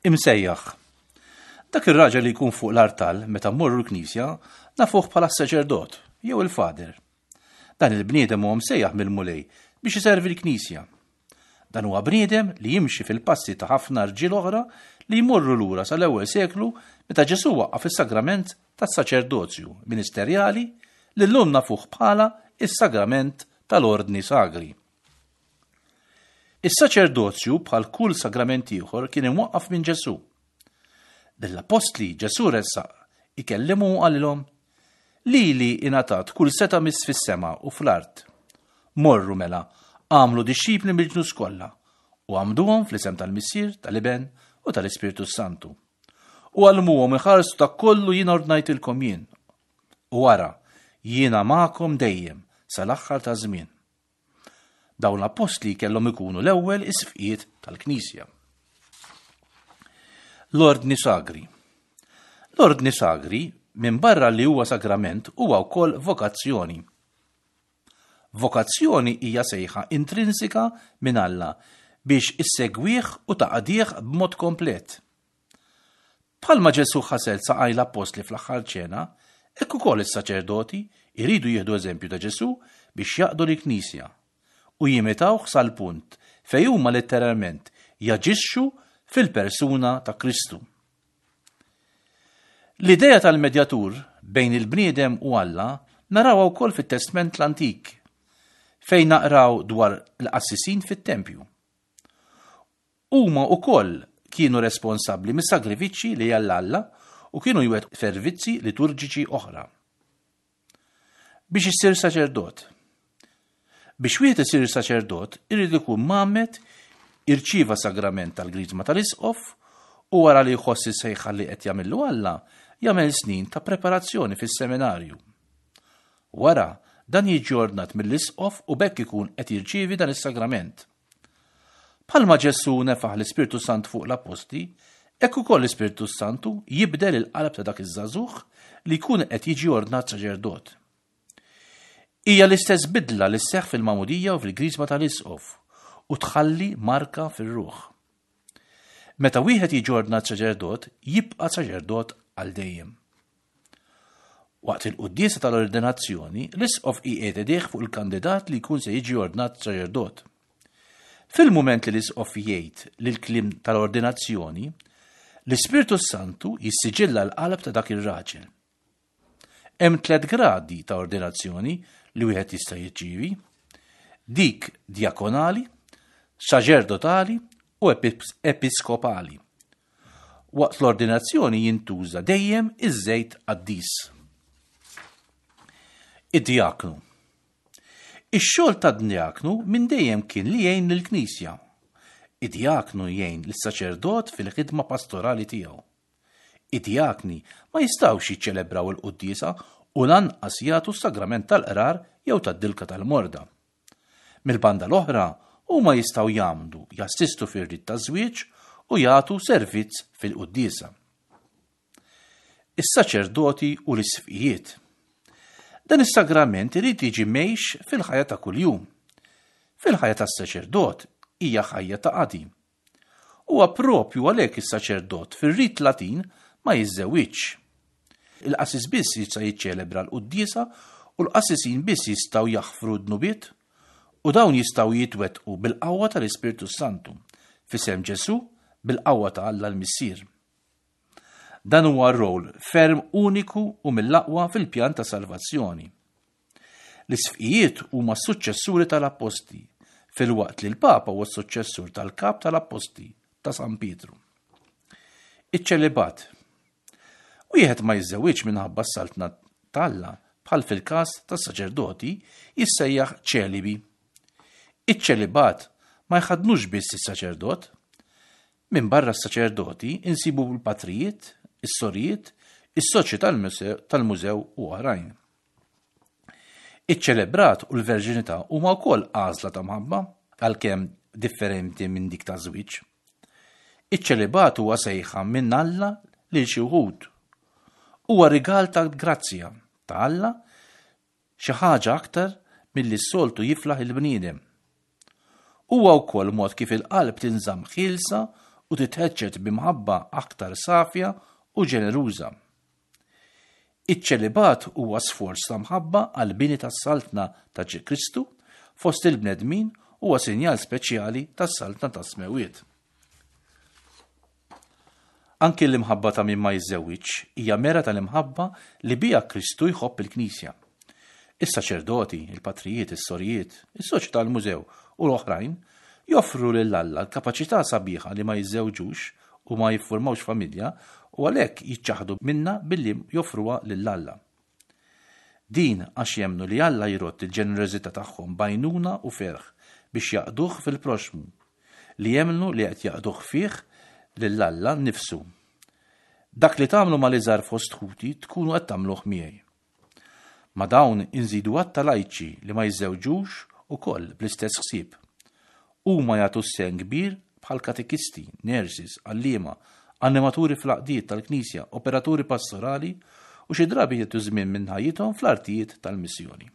Imsejjaħ. Dak ir-raġel li jkun fuq l-artal meta mmorru l-knisja nafuh bħala s-saċerdot jew il-fader. Dan il-bniedem huwa msejjaħ mill-Mulej biex iservi l-knisja. Dan huwa bniedem li jimxi fil-passi ta' ħafna rġiel oħra li jmorru lura sal-ewwel seklu meta Ġesù waqqaf is-sagrament tas-saċerdozju ministerjali li llum nafuh bħala s-sagrament tal-Ordni Sagri. Is-saċerdozju bħal kull sagrament ieħor kien imwaqqaf minn Ġesù. Lill-appostli Ġesù ressaq ikellimhom u qalilhom, Lili ingħatat kull setgħa miss fis-sema u fl-art. Morru mela, agħmlu dixxipli mill-ġnus kollha, u għammduhom fl-isem tal-Missier, tal-Iben u tal-Ispirtu s-Santu. U għallmuhom iħarsu dak kollu jien ordnajtilkom jien. U ara, jiena magħkom dejjem sal-aħħar taż-żmien. Dawn l-appostli kellhom ikunu l-ewwel isqfijiet tal-Knisja. L-Ordni Sagri. L-Ordni Sagri, minbarra li huwa sagrament, huwa wkoll vokazzjoni. Vokazzjoni hija sejħa intrinsika minn Alla biex issegwih u taqdih b'mod komplet. Bħalma Ġesù ħasel saqaj l-appostli fl-aħħar ċena, hekk ukoll is-saċerdoti jridu jieħdu eżempju ta' Ġesù biex jaqdu lill-Knisja u jimitawh sal-punt fejn huma letteralment jaġixxu fil-persuna ta' Kristu. L-idea tal-medjatur bejn il-bniedem u Alla narawha wkoll fit-Testment l-Antik, fejn naqraw dwar il-qassisin fit-tempju. Huma wkoll kienu responsabbli mis-sagrifiċċji li għal Alla u kienu jwettqu servizzi liturġiċi oħra. Biex issir saċerdot. Biex wieħed isir saċerdot irid ikun mgħammed, irċieva sagrament tal-Griżma tal-Isqof u wara li jħoss is-sejħa li qed jagħmillu Alla, jagħmel snin ta' preparazzjoni fis-seminarju. Wara, dan jiġi ordnat mill-Isqof u b'hekk ikun qed jirċievi dan is-sagrament. Bħalma Ġesù nefaħ l-Ispirtu Sant fuq l-appostli, hekk ukoll l-Ispirtu s-Santu jibdel il-qalb ta' dak iż-żagħżugħ li jkun qed jiġi ordnat saċerdot. Hija l-istess bidla li sseħħ fil-magħmudija u fil-griżma tal-isqof u tħalli marka fir-ruħ. Meta wieħed jiġi ordnat saċerdot, jibqa' saċerdot għal dejjem. Waqt il-quddiesa tal-ordinazzjoni, l-isqof iqiegħed idejh fuq il-kandidat li jkun se jiġi ordnat saċerdot. Fil-mument li l-isqof jgħid l-kliem tal-ordinazzjoni, l-Ispirtu Santu jissiġilla l-qalb ta' dak ir-raġel. Hemm tliet gradi ta' ordinazzjoni li wieħed jista' jirċievi: dik djakonali, saċerdotali u episkopali. Waqt l-ordinazzjoni jintuża dejjem iż-żejt qaddis. Id-djaknu. Ix-xogħol tad-djaknu minn dejjem kien li jgħin lill-Knisja. Id-djaknu jgħin lis-saċerdot fil-ħidma pastorali tiegħu. Id-djakni ma jistgħux jiċċelebraw il-quddiesa u lanqas jagħtu s-sagrament tal-qrar jew tad-dilka tal-morda. Mill-banda l-oħra, huma jistgħu jgħammdu, jassistu fir-rit taż-żwieġ u jagħtu servizz fil-quddiesa. Is-saċerdoti u l-isqfijiet. Dan is-sagrament irid jiġi mgħix fil-ħajja ta' kuljum. Fil-ħajja tas-saċerdot hija ħajja ta' qadi. Huwa propju għalhekk is-saċerdot fir-rit Latin ma jiżżewwiġx. Il-qassis biss jista' jiċċelebra l-quddiesa u l-qassisin biss jistgħu jaħfru d-dnubiet u dawn jistgħu jitwettqu bil-qawwa tal-Ispirtu s-Santu, f'isem Ġesù bil-qawwa ta' Alla l-Missier. Dan huwa rol ferm uniku u mill-aqwa fil-pjan ta' salvazzjoni. L-isqfijiet huma s-suċċessuri tal-appostli, filwaqt li l-Papa huwa s-suċċessur tal-kap tal-appostli, ta' San Pietru. Iċ-ċelibat. Wieħed ma jiżżewwiġ minħabba s-saltna t'Alla, bħal fil-każ tas-saċerdoti, jissejjaħ ċelibi. Iċ-ċelibat ma jħaddnux biss is-saċerdot. Minbarra s-saċerdoti insibu l-patrijiet, is-sorijiet, is-soċji tal-mużew u oħrajn. Iċ-ċelebrat u l-verġinità huma wkoll għażla ta' mħabba, għalkemm differenti minn dik taż-żwieġ. Iċ-ċelibat huwa sejħa minn Alla lil xi wħud. Huwa rigal ta' grazzja ta' Alla xi ħaġa aktar milli s-soltu jiflaħ il-bniedem. Huwa wkoll mod kif il-qalb tinżamm ħielsa u titħeġġeġ b'imħabba aktar safja u ġeneruża. Iċ-ċelibat huwa sforz ta' mħabba għall-bini tas-Saltna ta' Kristu fost il-bnedmin huwa sinjal speċjali tas-Saltna tas-Smewwiet. Anki l-imħabba ta' min ma jiżżewwiġx hija mera tal-imħabba li biha Kristu jħobb il-Knisja. Is-saċerdoti, il-patrijiet, is-sorijiet, is-soċi tal-mużew u l-oħrajn joffru lil Alla l-kapaċità sabiħa li ma jiżżewġux u ma jiffurmawx familja u għalhekk jiċċaħħdu minnha billi joffruha lil Alla. Din għax jemmnu li Alla jrodd il-ġenerożità tagħhom b'għajnuna u ferħ biex jaqduh fil-proxxmu, li jemmnu li qed jaqduh fih lil Alla nnifsu. Dak li tagħmlu mal-iżgħar fost ħuti tkunu qed tagħmluh miegħi. Ma' dawn inżidu għadd ta' lajċi li ma jiżżewġux ukoll bl-istess ħsieb. Huma jagħtu sehem kbir bħal katekisti, nurses, għalliema, animaturi fl-għaqdiet tal-Knisja, operaturi pastorali u xi drabi jagħtu żmien minn ħajjithom fl-artijiet tal-missjoni.